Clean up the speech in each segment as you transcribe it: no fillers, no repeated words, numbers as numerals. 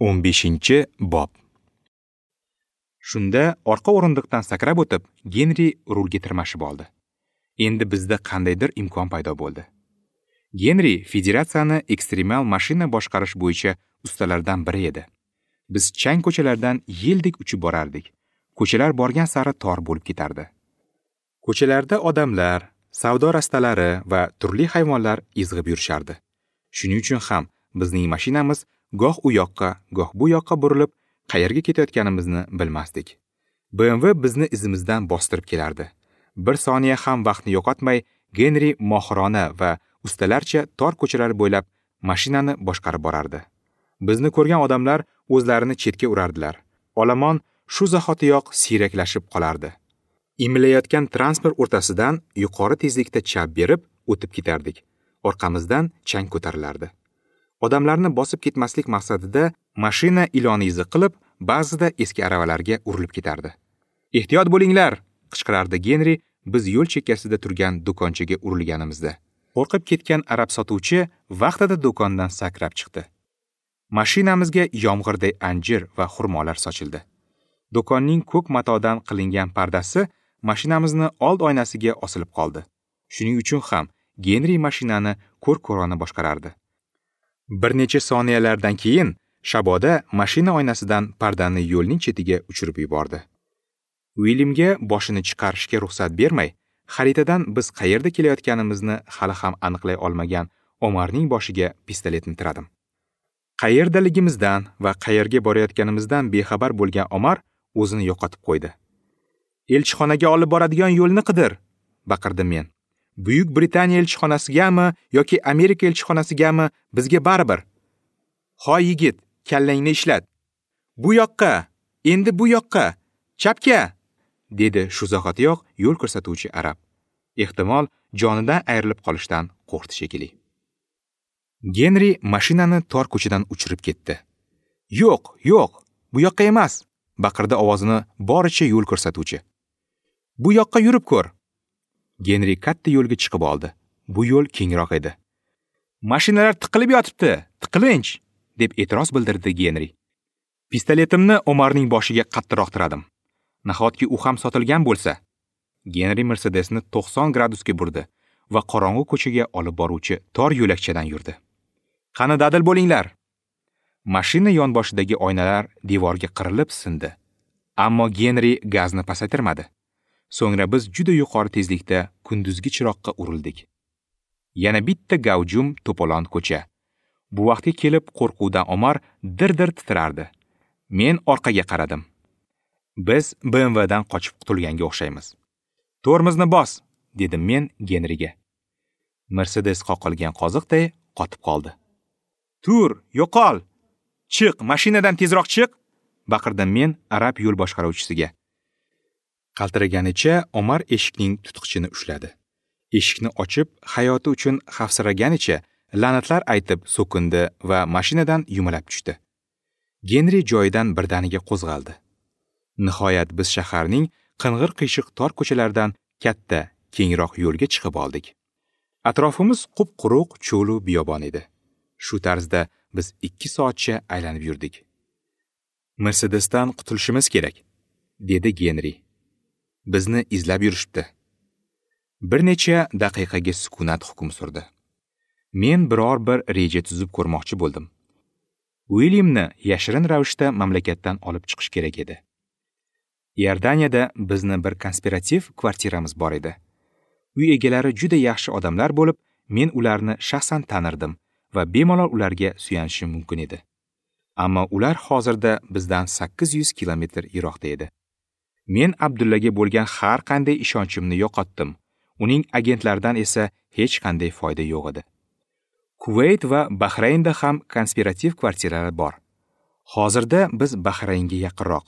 15-bob. Shunda orqa o'rindiqdan sakrab o'tib, Genri rulga tirmashib oldi. Endi bizda qandaydir imkon paydo bo'ldi. Genri federatsiyani ekstremal mashina boshqarish bo'yicha ustalardan biri edi. Biz chang ko'chalardan yeldek uchib borardik. Ko'chalar borgan sari tor bo'lib ketardi. Ko'chalarda odamlar, savdo rastalari va turli hayvonlar izg'ib yurishardi. Shuning uchun ham bizning mashinamiz goh u yoqqa, goh bu yoqqa burilib, qayerga ketayotganimizni bilmasdik. BMW bizni izimizdan bostirib kelardi. Bir soniya ham vaqtni yo'qotmay, Genri mohirona va ustalarcha tor ko'chalar bo'ylab mashinani boshqarib borardi. Bizni ko'rgan odamlar o'zlarini chetga urardilar. Olomon shu zahotiyoq siyraklashib qolardi. Imilayotgan transport o'rtasidan yuqori tezlikda chap berib o'tib ketardik. Orqamizdan chang ko'tarilardi. Odamlarni bosib ketmaslik maqsadida mashina ilon izi qilib, ba'zida eski aravalarga urilib ketardi. "Ehtiyot bo'linglar!" qichqirardi Genri biz yo'l chekkasida turgan do'konchaga urilganimizda. Qo'rqib ketgan arab sotuvchi vaqtida do'kondan sakrab chiqdi. Mashinamizga yomg'irday anjir va xurmolar sochildi. Do'konning ko'k matodan qilingan pardasi mashinamizni old oynasiga osilib qoldi. Shuning uchun ham Genri mashinani ko'r-ko'rona boshqarardi. Bir necha soniyalardan keyin shaboda mashina oynasidan pardani yo'lning chetiga uchirib yubordi. Uilyamga boshini chiqarishga ruxsat bermay, xaritadan biz qayerda kelayotganimizni hali ham aniqlay olmagan Omarning boshiga pistoletni tiradim. Qayerdaligimizdan va qayerga borayotganimizdan bexabar bo'lgan Omar o'zini yo'qotib qo'ydi. "Elchixonaga olib boradigan yo'lni qidir!" baqirdim men. "Buyuk Britaniya elchixonasigami yoki Amerika elchixonasigami, bizga baribir. Hoy yigit, kallangni ishlat. Bu yoqqa, endi bu yoqqa, chapga!" dedi shu zahotiyoq yo'l ko'rsatuvchi arab. Ehtimol jonidan ayrilib qolishdan qo'rqdi shekilli. Genri mashinani tor ko'chadan uchirib ketdi. "Yo'q, yo'q, bu yoqqa emas!" baqirdi ovozini boricha yo'l ko'rsatuvchi. "Bu yoqqa yurib ko'r." Genri katta yo'lga chiqib oldi. Bu yo'l kengroq edi. "Mashinalar tiqilib yotibdi, tiqilinch!" deb e'tiroz bildirdi Genri. Pistoletimni Omarning boshiga qattiqroq tiradim. Nahotki u ham sotilgan bo'lsa? Genri Mercedesni 90 gradusga burdi va qorong'u ko'chaga olib boruvchi tor yo'lakchadan yurdi. "Qani dadil bo'linglar!" Mashina yonboshidagi oynalar devorga qirilib sindi. Ammo Genri gazni pasaytirmadi. So'ngra biz juda yuqori tezlikda kunduzgi chiroqqa urildik. Yana bitta gavjum to'polon ko'cha. Bu vaqtga kelib qo'rquvdan Omar dir-dir titrardi. Men orqaga qaradim. Biz BMWdan qochib qutulganga o'xshaymiz. "Tormozni bos!" dedim men Genriga. Mercedes qoqilgan qoziqday qotib qoldi. "Tur, yo'qol! Chiq, mashinadan tezroq chiq!" baqirdim men arab yo'l boshqaruvchisiga. Qaltiraganicha Omar eshikning tutqichini ushladi. Eshikni ochib, hayoti uchun xavfsiraganicha la'natlar aytib so'kindi va mashinadan yumalab tushdi. Genri joyidan birdaniga qo'zg'aldi. Nihoyat biz shaharning qing'ir-qiyshiq tor ko'chalaridan katta, kengroq yo'lga chiqib oldik. Atrofimiz qup-quruq cho'lu biyobon edi. Shu tarzda biz 2 soatcha aylanib yurdik. "Mercedesdan qutulishimiz kerak", dedi Genri. "Bizni izlab yurishibdi." Bir necha daqiqaga sukunat hukm surdi. Men biror bir reja tuzib ko'rmoqchi bo'ldim. Uilyamni yashirin ravishda mamlakatdan olib chiqish kerak edi. Iordaniyada bizni bir konspirativ kvartiramiz bor edi. Uy egalari juda yaxshi odamlar bo'lib, men ularni shaxsan tanirdim va bemalol ularga suyanishim mumkin edi. Ammo ular hozirda bizdan 800 kilometr yiroqda edi. Men Abdullaga bo'lgan har qanday ishonchimni yo'qotdim. Uning agentlaridan esa hech qanday foyda yo'q edi. Kuvayt va Bahraynda ham konspirativ kvartiralar bor. Hozirda biz Bahraynga yaqinroq.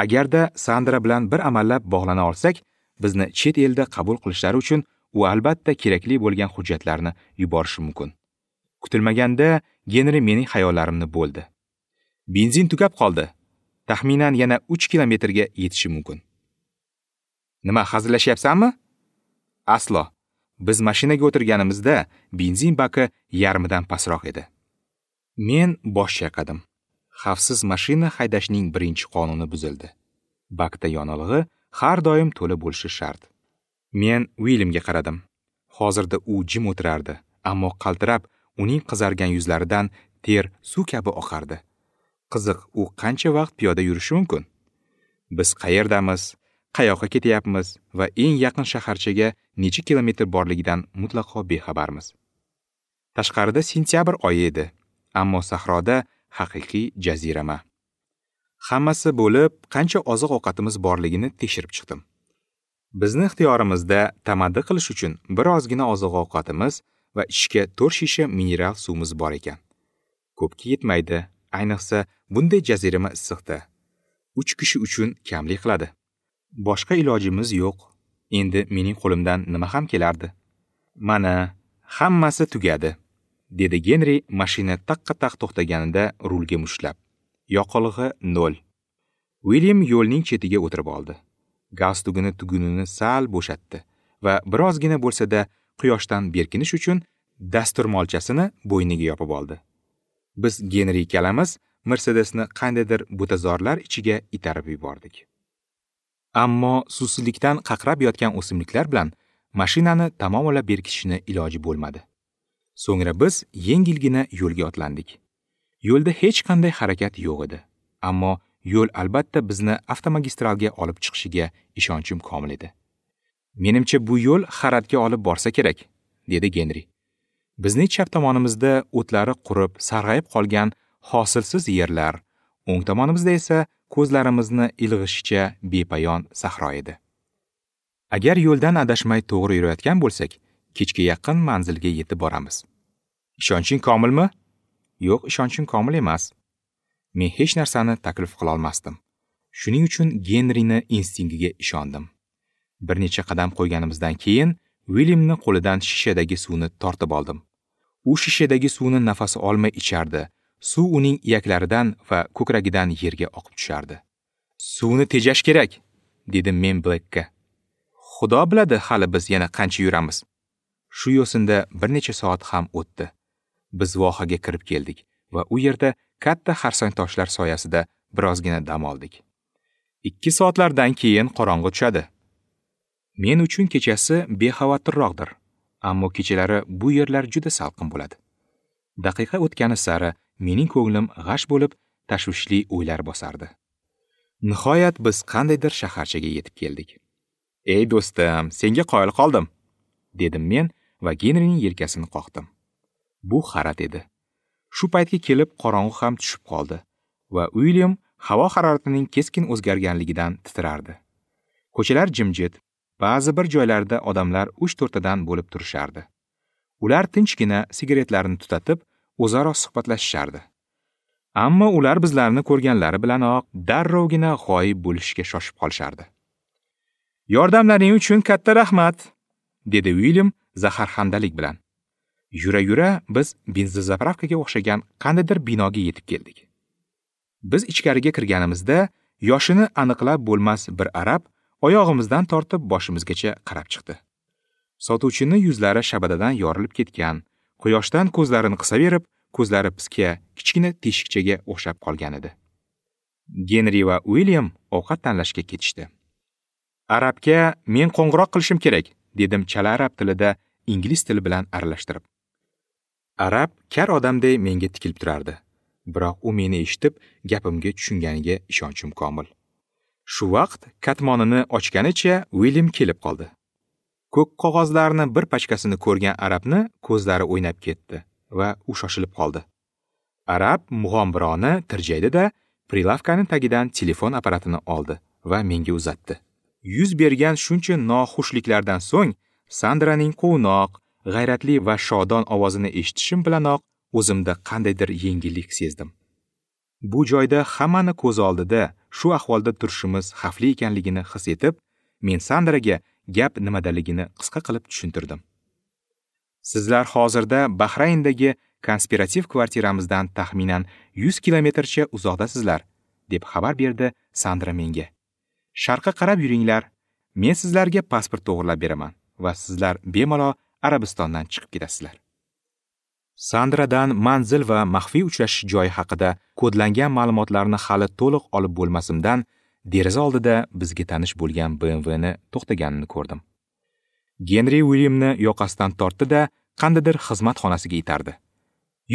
Agarda Sandra bilan bir amallab bog'lana olsak, bizni chet elda qabul qilishlari uchun u albatta kerakli bo'lgan hujjatlarni yuborishi mumkin. Kutilmaganda Genri mening xayollarimni bo'ldi. Benzin tugab qoldi. Taxminan yana 3 kilometrga yetishi mumkin. "Nima, hazillashyapsanmi?" "Aslo. Biz mashinaga o'tirganimizda benzin baki yarmidan pastroq edi." Men bosh chayqadim. Xavfsiz mashina haydashning birinchi qonuni buzildi. Bakda yonilg'i har doim to'la bo'lishi shart. Men Uilyamga qaradim. Hozirda u jim o'tirardi, ammo qaltirab, uning qizargan yuzlaridan ter suv kabi oqardi. Qiziq, u qancha vaqt piyoda yurishi mumkin? Biz qayerdamiz, qayoqqa ketyapmiz va eng yaqin shaharchaga necha kilometr borligidan mutlaqo bexabarmiz. Tashqarida sentyabr oyi edi, ammo sahroda haqiqiy jazirama. Hammasi bo'lib, qancha oziq-ovqatimiz borligini tekshirib chiqdim. Bizni ixtiyorimizda tamaddi qilish uchun birozgina oziq-ovqatimiz va ichishga 4 shisha mineral suvimiz bor ekan. Ko'pga yetmaydi, ayniqsa bunday jazirama issiqda. 3 kishi uchun kamlik qiladi. Boshqa ilojimiz yo'q. Endi mening qo'limdan nima ham kelardi? Mana, hammasi tugadi, dedi Genri mashina taqqa-taq to'xtaganida rulga mushtlab. Yoqilg'i 0. Uilyam yo'lning chetiga o'tirib oldi. Galstugini tugunini sal bo'shatdi va birozgina bo'lsa-da quyoshdan berkinish uchun dasturmolchasini bo'yniga yopib oldi. Biz Genri ikkalamiz Mercedesni qandaydir butazorlar ichiga itarib yubordik. Ammo suvsizlikdan qaqrab yotgan o'simliklar bilan mashinani tamomila berkitishni iloji bo'lmadi. So'ngra biz yengilgina yo'lga otlandik. Yo'lda hech qanday harakat yo'q edi, ammo yo'l albatta bizni avtomagistralga olib chiqishiga ishonchim komil edi. Menimcha bu yo'l Haratga olib borsa kerak, dedi Genri. Bizning chap tomonimizda o'tlari qurib, sarg'ayib qolgan hosilsiz yerlar, o'ng tomonimizda esa ko'zlarimizni ilg'ishicha bepayon sahro edi. Agar yo'ldan adashmay to'g'ri yurayotgan bo'lsak, kechga yaqin manzilga yetib boramiz. Ishonching komilmi? Yo'q, ishonchim komil emas. Men hech narsani taklif qila olmasdim. Shuning uchun Genrini instinktiga ishondim. Bir necha qadam qo'yganimizdan keyin Uilyamni qo'lidan shishadagi suvni tortib oldim. U shishadagi suvni nafasi olmay ichardi. Suv uning iyaklaridan va ko'kragidan yerga oqib tushardi. Suvni tejash kerak, dedim men Blackka. Xudo biladi, hali biz yana qancha yuramiz. Shu yo'sinda bir necha soat ham o'tdi. Biz vohaga kirib keldik va u yerda katta xarsang toshlar soyasida birozgina dam oldik. 2 soatlardan keyin qorong'i tushadi. Men uchun kechasi bexavotirroqdir, ammo kechalari bu yerlar juda salqin bo'ladi. Daqiqa o'tgani sari mening ko'nglim g'ash bo'lib, tashvishli o'ylar bosardi. Nihoyat biz qandaydir shaharchaga yetib keldik. "Ey do'stim, senga qoyil qoldim", dedim men va Genrining yelkasini qoqdim. Bu Harat edi. Shu paytga kelib qorong'u ham tushib qoldi va Uilyam havo haroratining keskin o'zgarganligidan titrardi. Ko'chalar jimjit, ba'zi bir joylarda odamlar 3-4tadan bo'lib turishardi. Ular tinchgina sigaretlarini tutatib, o'zaro suhbatlashishardi. Ammo ular bizlarni ko'rganlari bilanoq darrovgina g'oyib bo'lishga shoshib qolishardi. "Yordamlaring uchun katta rahmat", dedi Uilyam zaharxandalik bilan. Yura-yura biz benzozapravkaga o'xshagan qandaydir binoga yetib keldik. Biz ichkariga kirganimizda yoshini aniqlab bo'lmas bir arab oyog'imizdan tortib boshimizgacha qarab chiqdi. Sotuvchining yuzlari shabadadan yorilib ketgan, quyoshdan ko'zlarini qisaverib, ko'zlari piska, kichkina teshikchaga o'xshab qolgan edi. Genri va Uilyam ovqat tanlashga ketishdi. Arabga men qo'ng'iroq qilishim kerak, dedim chala arab tilida ingliz tili bilan aralashtirib. Arab kar odamday menga tikilib turardi. Biroq u meni eshitib, gapimga tushunganiga ishonchim komil. Shu vaqt katmonini ochganicha Uilyam kelib qoldi. Ko'k qog'ozlarni bir pachkasini ko'rgan arabni ko'zlari o'ynab ketdi va u shoshilib qoldi. Arab mug'ombironi tirjaydi-da, prilavkaning tagidan telefon apparatini oldi va menga uzatdi. Yuz bergan shuncha noxushliklardan so'ng Sandraning quvnoq, g'ayratli va shodon ovozini eshitishim bilanoq o'zimda qandaydir yengillik sezdim. Bu joyda hammani ko'z oldida shu ahvolda turishimiz xavfli ekanligini his etib, men Sandraga gap nimadaligini qisqa qilib tushuntirdim. Sizlar hozirda Bahrayndagi konspirativ kvartiramizdan taxminan 100 kilometrcha uzoqdasizlar, deb xabar berdi Sandra menga. Sharqqa qarab yuringlar, men sizlarga pasport to'g'rilab beraman va sizlar bemalol Arabistondan chiqib ketasizlar. Sandradan manzil va maxfiy uchrashish joyi haqida kodlangan ma'lumotlarni hali to'liq olib bo'lmasimdan deraza oldida bizga tanish bo'lgan BMWni to'xtaganini ko'rdim. Genri Uilyamni yoqasidan tortdi-da, qandaydir xizmat xonasiga itardi.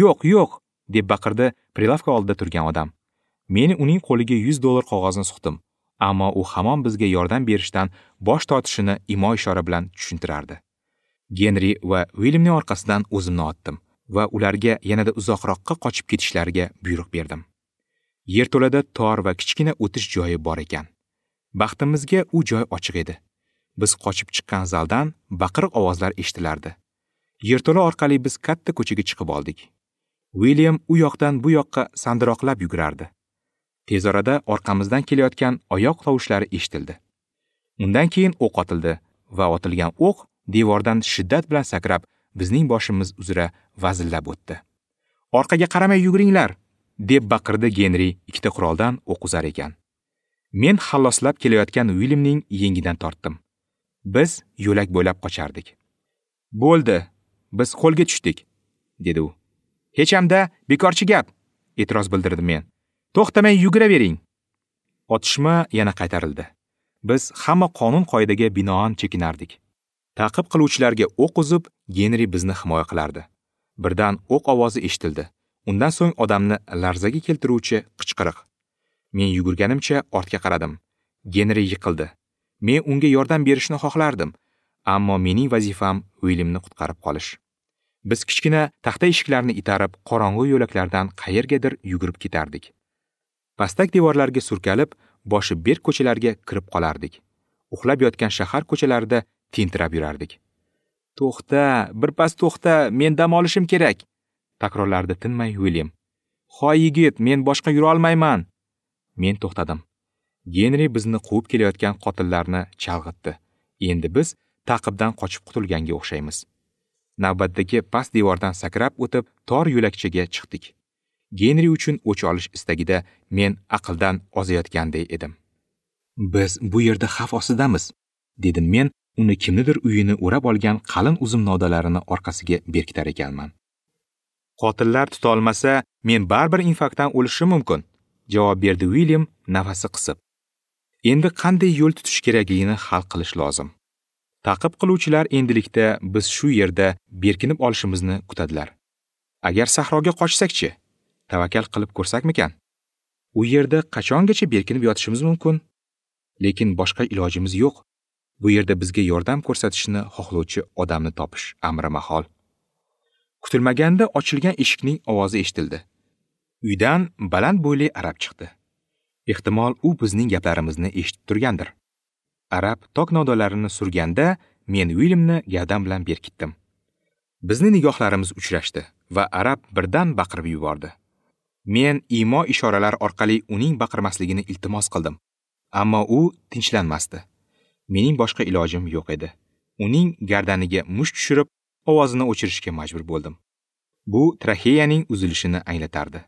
"Yo'q, yo'q!" deb baqirdi prilavka oldida turgan odam. Men uning qo'liga $100 qog'ozni suqdim, ammo u hamon bizga yordam berishdan bosh tortishini imo-ishora bilan tushuntirardi. Genri va Uilyamning orqasidan o'zimni otdim va ularga yanada uzoqroqqa qochib ketishlariga buyruq berdim. Yerto'lada tor va kichkina o'tish joyi bor ekan. Baxtimizga u joy ochiq edi. Biz qochib chiqqan zaldan baqiriq ovozlar eshitilardi. Yerto'la orqali biz katta ko'chaga chiqib oldik. Uilyam u yoqdan bu yoqqa sandiroqlab yugurardi. Tez orada orqamizdan kelayotgan oyoq tovushlari eshitildi. Undan keyin o'q otildi va otilgan o'q devordan shiddat bilan sakrab bizning boshimiz uzra vazillab o'tdi. "Orqaga qaramay yuguringlar!" deb baqirdi Genri ikkita quroldan o'q uzar ekan. Men xalloslab kelayotgan Uilyamning yengidan tortdim. Biz yo'lak bo'ylab qochardik. "Bo'ldi, biz qo'lga tushdik", dedi u. "Hech hamda bekorchi gap", e'tiroz bildirdim men. "To'xtamay yuguravering." Otishma yana qaytarildi. Biz hamma qonun-qoidaga binoan chekinardik. Ta'qib qiluvchilarga o'q uzib, Genri bizni himoya qilardi. Birdan o'q ovozi eshitildi. Undan so'ng odamni larzaga keltiruvchi qichqiriq. Men yugurganimcha ortga qaradim. Genri yiqildi. Men unga yordam berishni xohlardim, ammo mening vazifam Uilyamni qutqarib qolish. Biz kichkina taxta eshiklarni itarib, qorong'u yo'laklardan qayergadir yugurib ketardik. Pastak devorlarga surkalib, boshi berk ko'chalarga kirib qolardik. Uxlab yotgan shahar ko'chalarida tentirab yurardik. "To'xta, birpas to'xta, men dam olishim kerak", takrorlardi tinmay Uilyam. "Hoy yigit, men boshqa yura olmayman." Men to'xtadim. Genri bizni quvib kelayotgan qotillarni chalg'itdi. Endi biz ta'qibdan qochib qutulganga o'xshaymiz. Navbatdagi past devordan sakrab o'tib, tor yo'lakchaga chiqdik. Genri uchun o'ch olish istagida men aqldan ozayotganday edim. "Biz bu yerda xavf ostidamiz", dedim men uni kimnidir uyini o'rab olgan qalin uzum novdalarini orqasiga berkitar ekanman. "Qotillar tuta olmasa, men baribir infarktdan o'lishim mumkin", javob berdi Uilyam nafasi qisib. Endi qanday yo'l tutish kerakligini hal qilish lozim. Ta'qib qiluvchilar endilikda biz shu yerda berkinib olishimizni kutadilar. Agar sahroga qochsak-chi? Tavakkal qilib ko'rsakmikan? U yerda qachongacha berkinib yotishimiz mumkin? Lekin boshqa ilojimiz yo'q. Bu yerda bizga yordam ko'rsatishni xohlovchi odamni topish amri mahol. Kutilmaganda ochilgan eshikning ovozi eshitildi. Uydan baland bo'yli arab chiqdi. Ehtimol u bizning gaplarimizni eshitib turgandir. Arab tok novdalarini surganda men Uilyamni gavdam bilan berkitdim. Bizning nigohlarimiz uchrashdi va arab birdan baqirib yubordi. Men imo ishoralar orqali uning baqirmasligini iltimos qildim, ammo u tinchlanmasdi. Mening boshqa ilojim yo'q edi. Uning gardaniga musht tushirib, ovozini o'chirishga majbur bo'ldim. Bu traxeyaning uzilishini anglatardi.